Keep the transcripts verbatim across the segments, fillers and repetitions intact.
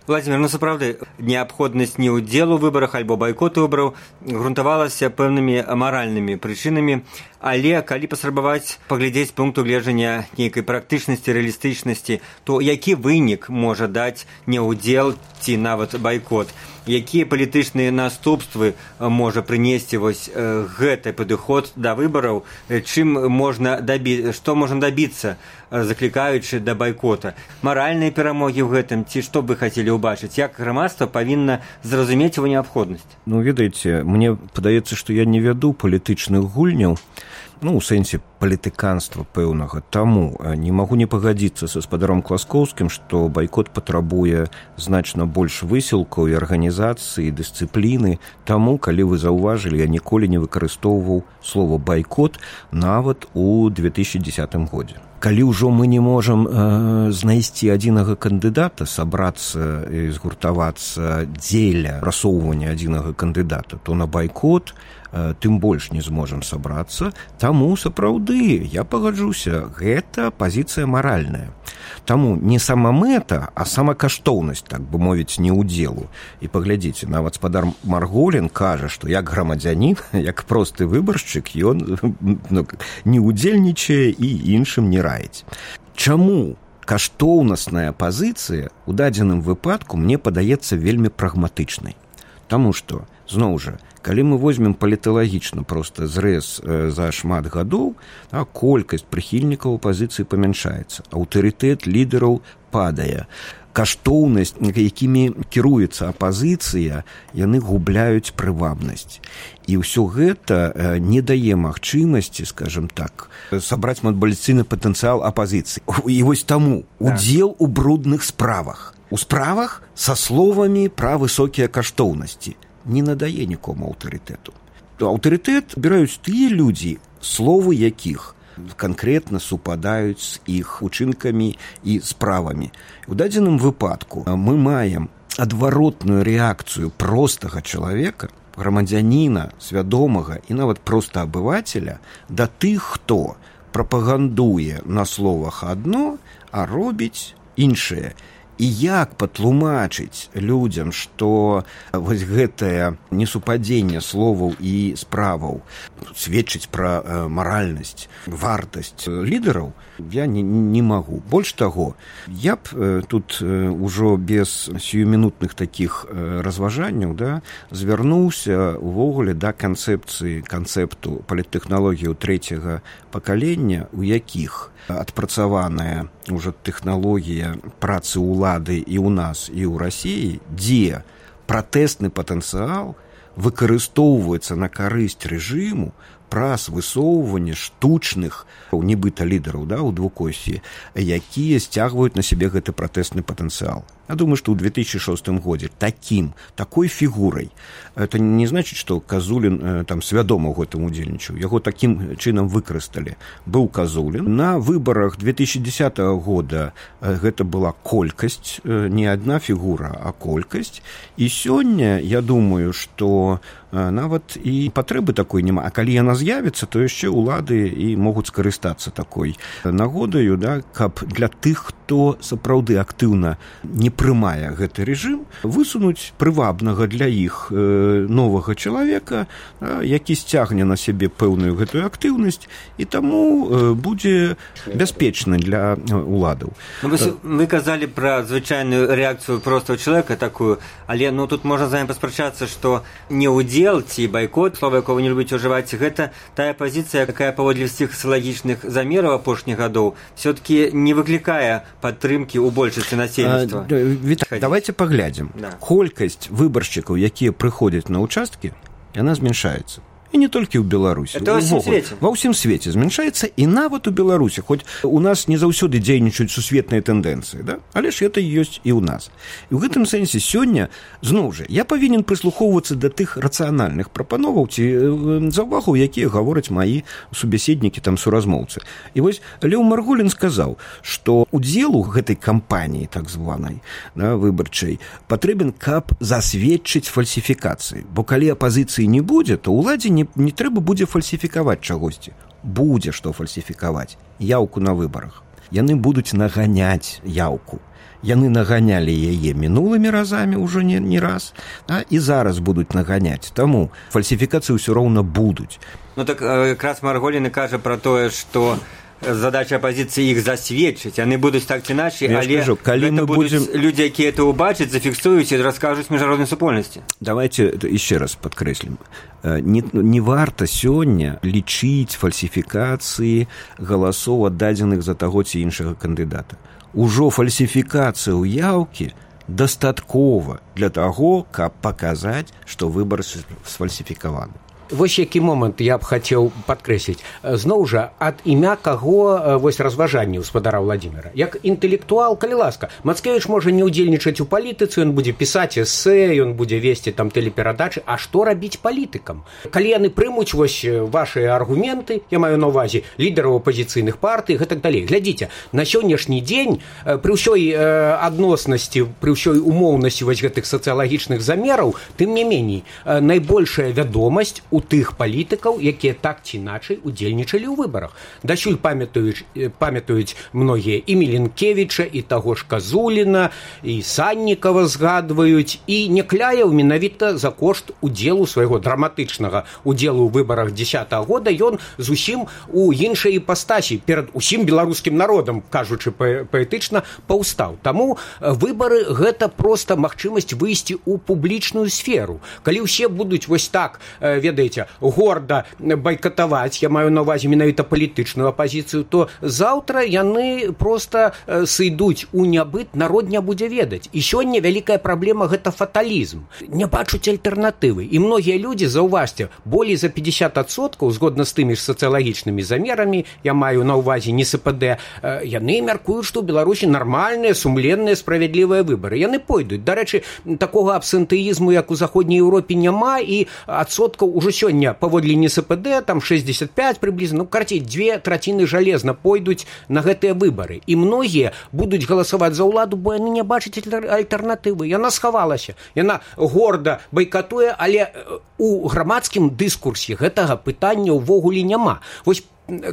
Владимир, ну сапраўды, неабходнасць не ўдзелу ў выбарах альбо байкоту выбараў грунтавалася пэўнымі маральнымі прычынамі, але калі паспрабаваць паглядзець пункту гледжання нейкай практычнасці, рэалістычнасці, то які вынік можа даць неўдзел ці нават байкот? Якія палітычныя наступствы можа прынесці вось гэты падыход да выбараў, чым можна дабі... што можна дабіцца, заклікаючы да байкота? Маральныя перамогі ў гэтым, ці што бы хацелі ўбачыць? Як грамадства павінна зразумець его неабходнасць? Ну, ведаеце, мне падаецца, што я не вяду палітычных гульняў, ну, у сэнсе палітыканства пэўнага. Таму не магу не пагадзіцца са спадаром Класкоўскім, што байкот патрабуе значна больш высілкаў і арганізацыі, дысцыпліны. Таму, калі вы заўважылі, я ніколі не выкарыстоўваў слова байкот нават у две тысячи дзесятым годзе. Калі ўжо мы не можам э, знайсці адзінага кандыдата, сабрацца і згуртавацца дзеля прасоўвання адзінага кандыдата, то на байкот э, тым больш не зможам сабрацца. Таму, сапраўды, я пагаджуся, гэта пазіцыя маральная. Таму не сама мэта, а сама каштоўнасць, так бы мовіць, не ўдзелу. І паглядзіце, нават спадар Марголін кажа, што як грамадзянін, як просты выбаршчык, ён ну, не ўдзельнічае і іншым не раіць. Чаму каштоўнасная пазіцыя ў дадзеным выпадку мне падаецца вельмі прагматычнай? Таму што, зноў жа, калі мы возьмем паліталагічна проста зрэз э, за шмат гадоў, а колькасць прыхільнікаў апазіцыі памяншаецца, аўтарытэт лідараў падае, каштоўнасць, якімі кіруецца апазіцыя, яны губляюць прывабнасць. І ўсё гэта э, не дае магчымасці, скажем так, сабраць мабілізацыйны патэнцыял апазіцыі. І вось таму удзел у брудных справах. У справах са словамі пра высокія каштоўнасці не надае нікому аўтарытэту. Аўтарытэт абіраюць тыя людзі, словы якіх канкрэтна супадаюць з іх учынкамі і справамі. У дадзеным выпадку мы маем адваротную рэакцыю простага чалавека, грамадзяніна, свядомага і нават проста абывацеля да тых, хто прапагандуе на словах адно, а робіць іншае. І як патлумачыць людзям, што вось гэтае несупадзенне словаў і справаў сведчыць пра э, маральнасць, вартасць лідараў, я не, не магу. Больш таго, я б э, тут э, ужо без сіюмінутных такіх э, разважанняў да, звярнуўся увогуле да канцэпцыі, канцэпту паліттэхналогіяў трэцяга пакалення, у якіх адпрацаваная ўжо тэхналогія працы ўлады і ў нас, і ў Расіі, дзе пратэсны патэнцыял выкарыстоўваецца на карысць рэжыму праз высоўванне штучных нібыта лідараў да, у двукосці, якія сцягваюць на сябе гэты пратэсны патэнцыял. Я думаю, что в две тысячи шостым годзе таким, такой фігурай, это не значит, что Казулін там свядома ў гэтым удзельнічаў, яго таким чынам выкарысталі. Быў Казулін. На выбарах две тысячи десятого года гэта была колькасць, не одна фігура, а колькасць. І сёння, я думаю, что нават і патрэбы такой няма. А калі яна з'явіцца, то яшчэ ўлады і могуць скарыстацца такой нагодаю, да, каб для тых, хто сапраўды актыўна не прымае гэты рэжым, высунуць прывабнага для іх э, новага чалавека, э, які сцягне на сябе пэўную гэтую актыўнасць і таму э, будзе бяспечны для уладаў. Ну, вы, вы казалі пра звычайную рэакцыю простого чалавека такую, але ну, тут можна з вами паспрачацца, што не ўдзел ці байкот, слова якого вы не любіце ўжываць, гэта тая пазіцыя, якая паводле ўсіх сацыялагічных замераў апошніх гадоў все-таки не выклікае падтрымкі ў большасці насельніцтва. Віталь, давайте паглядзім. Да. Колькасць выбаршчыкаў, якія прыходзяць на ўчасткі, яна змяншаецца. І не толькі ў Беларусі. Это ва ўсім свеце. Ва ўсім свеце змяншаецца, і нават у Беларусі, хоць у нас не заўсёды дзейнічаюць сусветныя тэндэнцыі, да? Але ж гэта ёсць і ў нас. І ў гэтым сэнсе сёння, зноў жа, я павінен прыслухоўвацца да тых рацыянальных прапановаў ці заўвагаў, якія гавораць маі субяседнікі, там, суразмоўцы. І вось Леў Марголін сказаў, што удзел у гэтай кампаніі, так званай, да, выбарчай, патрэбен, каб засведчыць фальсіфікацыі. Бо калі апазіцыі не будзе, то ўладзе не не трэба будзе фальсіфікаваць чагосьці. Будзе што фальсіфікаваць. Яўку на выбарах. Яны будуць наганяць яўку. Яны наганялі яе мінулымі разамі ўжо не, не раз, а і зараз будуць наганяць. Таму фальсіфікацыі ўсё роўна будуць. Ну так якраз Марголіна кажа пра тое, што задача апозіцыі іх засведчыць, яны будуць так ці іначай, але скажу, калі мы будем... людзі, якія это ўбачаць, зафіксуюць і раскажуць міжнароднай супольнасці. Давайте еще раз подкрэслім. Не, не варта сёння лічыць фальсіфікацыі галасоў аддадзеных за таго ці іншага кандыдата. Ужо фальсіфікацыя ўяўкі дастаткова для таго, каб паказаць, што выбар сфальсіфікаваны. Вось які момант я б хацеў падкрэсліць. Зноў жа, ад імя каго вось разважанні гаспадара Владзіміра. Як інтэлектуал, калі ласка, Мацкевіч можа не ўдзельнічаць у палітыцы, ён будзе пісаць эсэ, ён будзе весці там тэлеперадачы, а што рабіць палітыкам? Калі яны прымуць вось вашыя аргументы, я маю на ўвазе лідараў апазіцыйных партый, гэтак далей. Глядзіце, на сённяшні дзень пры ўсёй адноснасці, пры ўсёй умоўнасці вось гэтых сацыялагічных замераў, тым не меней, найбольшая вядомасць у тых палітыкаў, якія так ці іначай удзельнічалі ў выбарах. Дасюль памятаюць, памятаюць многія і Міленкевіча, і таго ж Казуліна, і Саннікава згадваюць, і Някляеў менавіта за кошт удзелу свайго драматычнага удзелу ў выбарах дзесятага года ён зусім у іншай іпастасі перад усім беларускім народам, кажучы паэтычна, паўстаў. Таму выбары гэта проста магчымасць выйсці ў публічную сферу. Калі ўсе будуць вось так, ведаеце, горда байкатаваць, я маю на ўвазе менавіта палітычную апазіцыю, то заўтра яны проста сыйдуць у нябыт, народ не будзе ведаць. І сёння вялікая праблема гэта фаталізм. Не бачуць альтэрнатывы. І многія людзі, заўважце, болей за пятьдесят адсоткаў, згодна з тымі ж сацыялагічнымі замерамі, я маю на ўвазе не эс пэ дэ, яны мяркуюць, што ў Беларусі нармальныя, сумленныя, справядлівыя выбары. Яны пойдуць. Дарэчы, такога абсэнтэізму, як у заходняй Еўропе, няма, і адсоткаў ужо сёння паводле эн эс пэ дэ там шэсцьдзесят пять прыблізна, ну карцей дзве траціны жалезна пойдуць на гэтыя выбары, і многія будуць галасаваць за ўладу, бо яны не бачаць альтэрнатывы. Яна схавалася, яна горда байкатуе, але у грамадскім дыскурсе гэтага пытання ўвогуле няма. Вось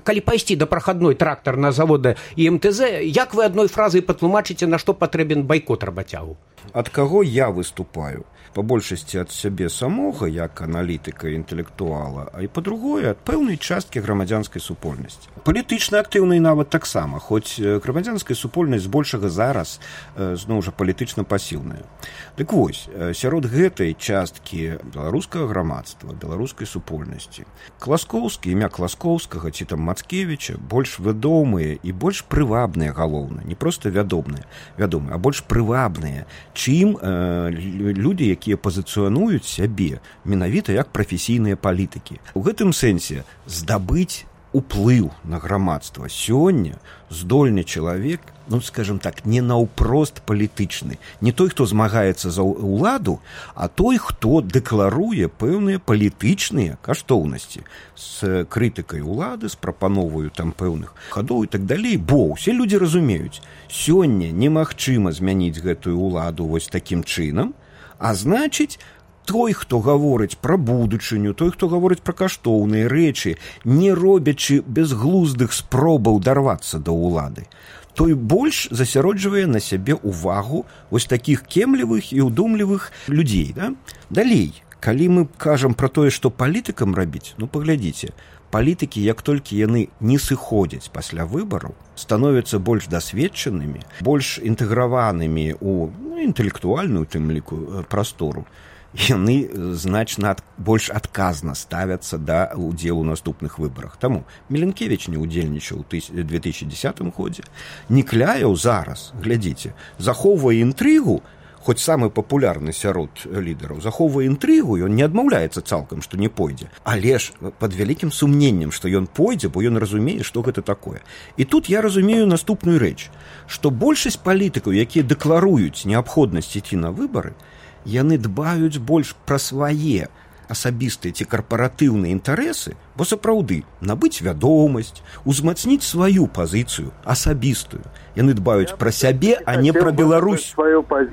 калі пайсці да прахадной трактарнага завода і эм тэ зэ, як вы адной фразай патлумачыце, на што патрэбен байкот работягу? Ад каго я выступаю? Па большасці ад сябе самога, як аналітыка і інтэлектуала, а і па-другое, ад пэўнай часткі грамадзянскай супольнасці. Палітычна актыўнай нават таксама, хоць грамадзянская супольнасць збольшага зараз, зноў жа, палітычна пасіўная. Дык вось, сярод гэтай часткі беларускага грамадства, беларускай супольнасці, Класкоўскі, імя Класкоўскага ці там Мацкевіча больш вядомыя і больш прывабныя, галоўна, не проста вядомыя, вядомыя, а больш прывабныя, чым э, людзі, якія пазіцыянуюць сябе менавіта як прафесійныя палітыкі. У гэтым сэнсе здабыць уплыў на грамадства сёння здольны чалавек, ну, скажем так, не наўпрост палітычны. Не той, хто змагаецца за ўладу, а той, хто дэкларуе пэўныя палітычныя каштоўнасці з крытыкай улады, з прапановаю там пэўных хадоў і так далей, бо ўсе людзі разумеюць, сёння немагчыма змяніць гэтую ўладу вось такім чынам, а значыць, той, хто гаворыць пра будучыню, той, хто гаворыць пра каштоўныя рэчы, не робячы безглуздых спробаў дарвацца да ўлады, той больш засяроджвае на сябе ўвагу вось такіх кемлівых і ўдумлівых людзей. Да? Далей, калі мы кажам пра тое, што палітыкам рабіць, ну, паглядзіце, палітыкі, як толькі яны не сыходзяць пасля выбараў, становяцца больш дасведчанымі, больш інтэграванымі ў ну, інтэлектуальную, тым ліку, прастору, яны значна ад, больш адказна ставяцца да ўдзелу ў наступных выбарах. Таму Міленкевіч не ўдзельнічаў у две тысячи дзесятым годзе. Някляеў зараз, глядзіце, захоўвае інтрыгу, хоць самы папулярны сярод лідараў, захоўвае інтрыгу, ён не адмаўляецца цалкам, што не пойдзе, але ж пад вялікім сумненнем, што ён пойдзе, бо ён разумее, што гэта такое. І тут я разумею наступную рэч, што большасць палітыкаў, якія дэкларуюць неабходнасць ісці на выбары, яны дбаюць больш пра свае асабістыя ці карпаратыўныя інтарэсы, бо сапраўды набыць вядомасць, узмацніць сваю пазіцыю асабістую. Яны дбаюць пра сябе, а не пра Беларусь.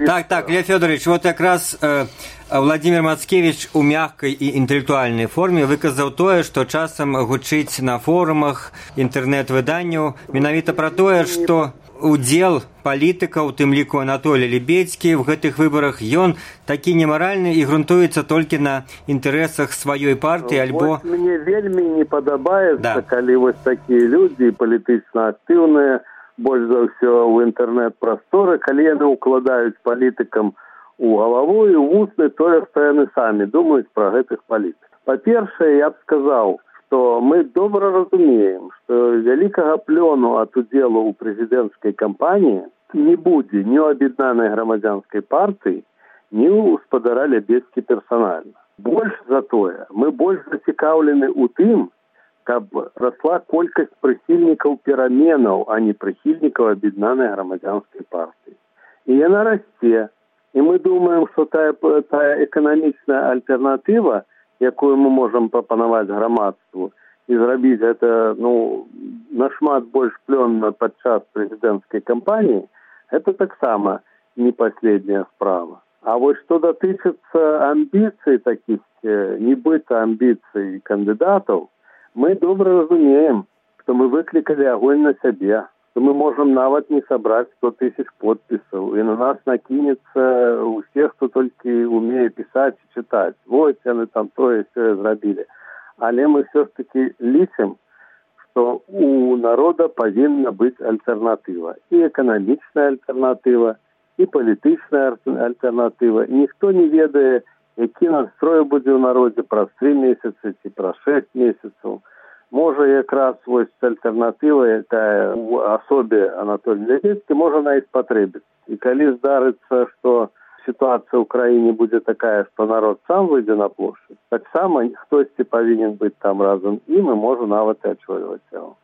Так, так, Лев Фёдорович, вот якраз э, Владимир Мацкевич у мягкай і інтэлектуальнай форме выказаў тое, што часам гучыць на форумах інтэрнэт-выданняў менавіта пра тое, што удзел палітыкаў, у тым ліку Анатолій Лебедзькі, в гэтых выбарах, ён такі немаральны і грунтуецца толькі на інтарэсах сваёй партыі, альбо... Вот мне вельмі не падабаецца, да. калі вось такія людзі палітычна актыўныя, больш за ўсё ў інтэрнэт-прасторы, калі яны ўкладаюць палітыкам у галаву і ў вусны тое, што яны самі думаюць пра гэтых палітыкаў. Па-першае, я б сказаў, што мы добра разумеем, што вялікага плёну ад удзелу ў прэзідэнцкай кампаніі не будзе ні ў аб'яднанай грамадзянскай партыі, ні ў спадара Лебедзькі персанальна. Больш за тое, мы больш зацікаўлены ў тым, каб расла колькасць прыхільнікаў пераменаў, а не прыхільнікаў аб'яднанай грамадзянскай партыі. І яна расце. І мы думаем, што тая, тая эканамічная альтэрнатыва, якую мы можам прапанаваць грамадству, і зрабіць гэта ну, нашмат больш плённа падчас прэзідэнцкай кампаніі, гэта таксама не паследняя справа. А вось што датычыцца амбіцый такіх, нібыта амбіцый кандыдатаў, мы добра разумеем, што мы выклікалі агонь на сябе, што мы можам нават не сабраць сто тысяч подпісаў, і на нас накінецца ўсе, хто толькі умее пісаць і чытаць. Вось яны там тое сёе зрабілі. Але мы ўсё ж такі лічым, што у народа павінна быць альтэрнатыва. І эканамічная альтэрнатыва, і палітычная альтэрнатыва. І ніхто не ведае, які настрой будзе ў народзе праз тры месяцы ці праз шэсць месяцаў. Можа, якраз вось альтэрнатыва, якая ў асобе Анатолія Лебедзькі, можа на іх спатрэбіцца. І калі здарыцца, што сітуацыя ў краіне будзе такая, што народ сам выйдзе на плошчу, таксама хтосьці павінен быць там разам ім і можа нават і ачвольваць яго.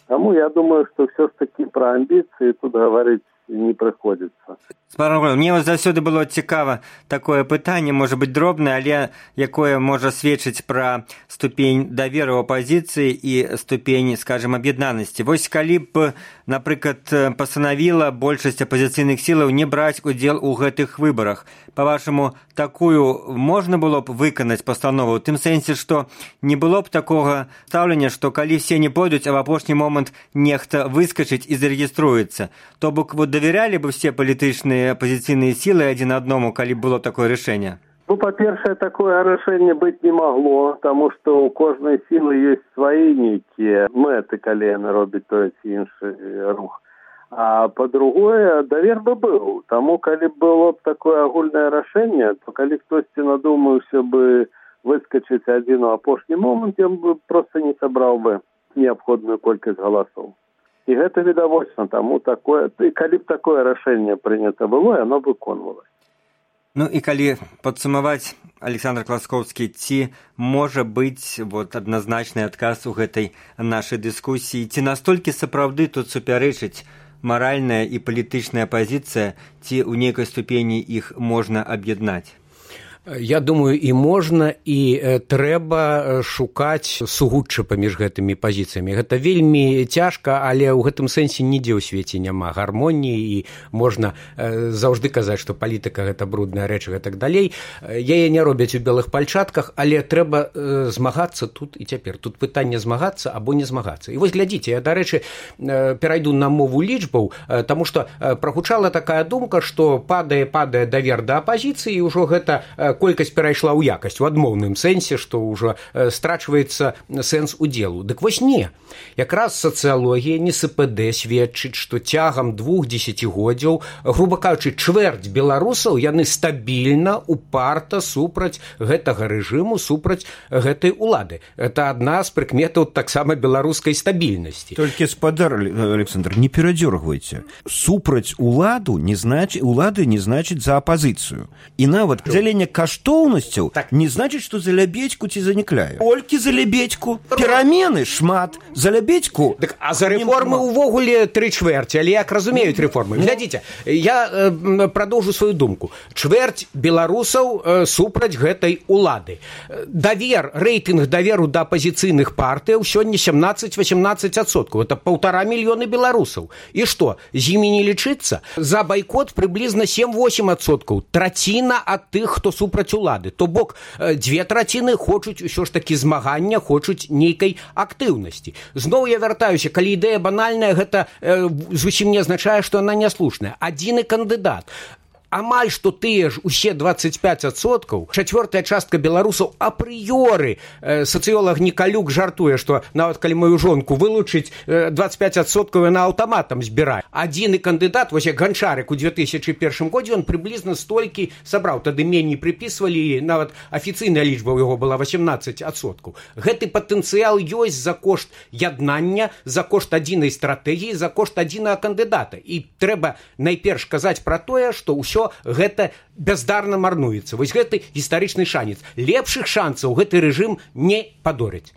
Таму я думаю, што ўсё ж такі пра амбіцыі тут гаварыць не прыходзіцца. Мне заўсёды было цікава такое пытанне, можа быць дробнае, але якое можа сведчыць пра ступень даверу апазіцыі і ступень, скажем, аб'яднанасці. Вось калі б, напрыклад, пастанавіла большасць апазіцыйных сілаў не браць удзел у гэтых выбарах, па-вашаму, такую можна было б выканаць пастанову, у тым сэнсе, што не было б такога стаўлення, што калі все не пойдуць, а в апошні момант нехта выскачыць і зарэгіструецца, то бок вот давярялі бы все палітычныя апозіцыйныя сілы адзін адному, калі было такое рашэнне? Ну, па-першае, такое рашэнне быць не магло, таму што ў кожнай сілы ёсць свае нейкія мэты, калі яны робяць той ці іншы рух. А па-другое, давер бы быў. Таму, калі было б такое агульнае рашэнне, то калі хтосьці надумаўся бы выскачыць адзін у апошні момант, ён бы проста не сабраў бы неабходную колькасць галасоў. І гэта відавочна, таму такое, і калі б такое рашэнне прынята было, яно выконвалася. Ну і калі падсумаваць, Александр Класкоўскі, ці можа быць вот адназначны адказ у гэтай нашай дыскусіі, ці настолькі сапраўды тут супярэчыць маральная і палітычная пазіцыя, ці ў нейкай ступені іх можна аб'яднаць? Я думаю, і можна, і э, трэба шукаць сугучча паміж гэтымі пазіцыямі. Гэта вельмі цяжка, але ў гэтым сэнсе нідзе ў свеце няма гармоніі, і можна э, заўжды казаць, што палітыка гэта брудная рэч і так далей. Яе не робяць у белых пальчатках, але трэба э, змагацца тут і цяпер. Тут пытанне змагацца або не змагацца. І вось глядзіце, я, дарэчы, э, перайду на мову лічбаў, э, таму што э, прагучала такая думка, што падае, падае давер да апазіцыі, і ўжо гэта э, колькасць перайшла ў якасць у адмоўным сэнсе, што ўжо э, страчваецца сэнс удзелу. Дык вось не. Якраз сацыялогія, не эс пэ дэ сведчыць, што цягам двух дзесяцігоддзяў, груба кажучы, чвэрць беларусаў, яны стабільна, упарта супраць гэтага рэжыму, супраць гэтай улады. Это адна з прыкметаў таксама беларускай стабільнасці. Толькі, спадар Александр, не перадзёргвайце. Супраць уладу не знач... улады не значыць за апазіцыю. І нават дзяленне каштоўнасцяў так. Не значыць, што за Лебедзьку ці занікляе. Толькі за Лебедзьку. Перамены шмат. За Лебедзьку. Так, а за рэформы ўвогуле тры чвэрці, але як разумеюць рэформы. Глядзіце, я э, прадоўжу сваю думку. Чвэрць беларусаў э, супраць гэтай улады. Давер, рэйтынг даверу да апазіцыйных партыяў сёння сямнаццаць-васемнаццаць адсоткаў. Это паўтара мільёны беларусаў. І што, з імі не лічыцца? За байкот прыблізна сем-восем адсоткаў. Траціна ад тых, хто супраць супраць улады. То бок дзве траціны хочуць усё ж такі змагання, хочуць нейкай актыўнасці. Зноў я вяртаюся, калі ідэя банальная, гэта э, зусім не азначае, што яна няслушная. Адзіны кандыдат. Амаль што тыя ж усе двадцать пять адсоткаў, чацвёртая частка беларусаў апрыёры, э, сацыёлаг Нікалюк жартуе, што нават калі мою жонку вылучыць, э, двадцать пять адсоткаў яна аўтаматам збірае. Адзіны кандыдат, вось як Ганчарык у две тысячи першым годзе, он прыблізна столькі сабраў, тады меней прыпісвалі, нават афіцыйная лічба ў яго была восемнадцать адсоткаў. Гэты патэнцыял ёсць за кошт яднання, за кошт адзінай стратэгіі, за кошт адзінага кандыдата. І трэба найперш казаць пра тое, што ўсё гэта бяздарна марнуецца. Вось гэты гістарычны шанец. Лепшых шанцаў гэты рэжым не падорыць.